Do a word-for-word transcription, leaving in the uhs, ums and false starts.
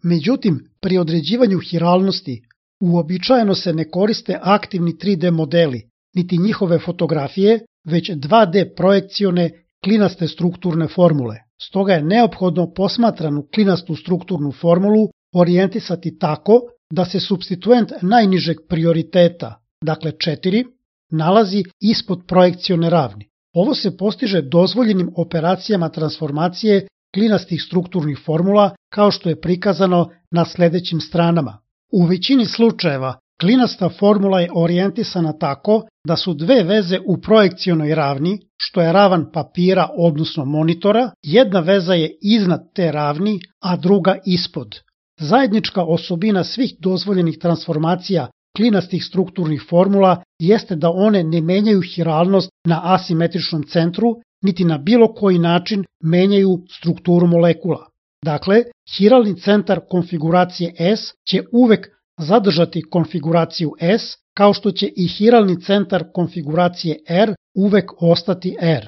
Međutim, pri određivanju hiralnosti uobičajeno se ne koriste aktivni tri D modeli, niti njihove fotografije, već dva D projekcione klinaste strukturne formule. Stoga je neophodno posmatranu klinastu strukturnu formulu orijentisati tako da se supstituent najnižeg prioriteta, dakle četiri, nalazi ispod projekcione ravni. Ovo se postiže dozvoljenim operacijama transformacije klinastih strukturnih formula kao što je prikazano na sledećim stranama. U većini slučajeva klinasta formula je orijentisana tako da su dve veze u projekcionoj ravni, što je ravan papira odnosno monitora, jedna veza je iznad te ravni, a druga ispod. Zajednička osobina svih dozvoljenih transformacija klinastih strukturnih formula jeste da one ne menjaju hiralnost na asimetričnom centru, niti na bilo koji način menjaju strukturu molekula. Dakle, hiralni centar konfiguracije S će uvek zadržati konfiguraciju S, kao što će i hiralni centar konfiguracije R uvek ostati R.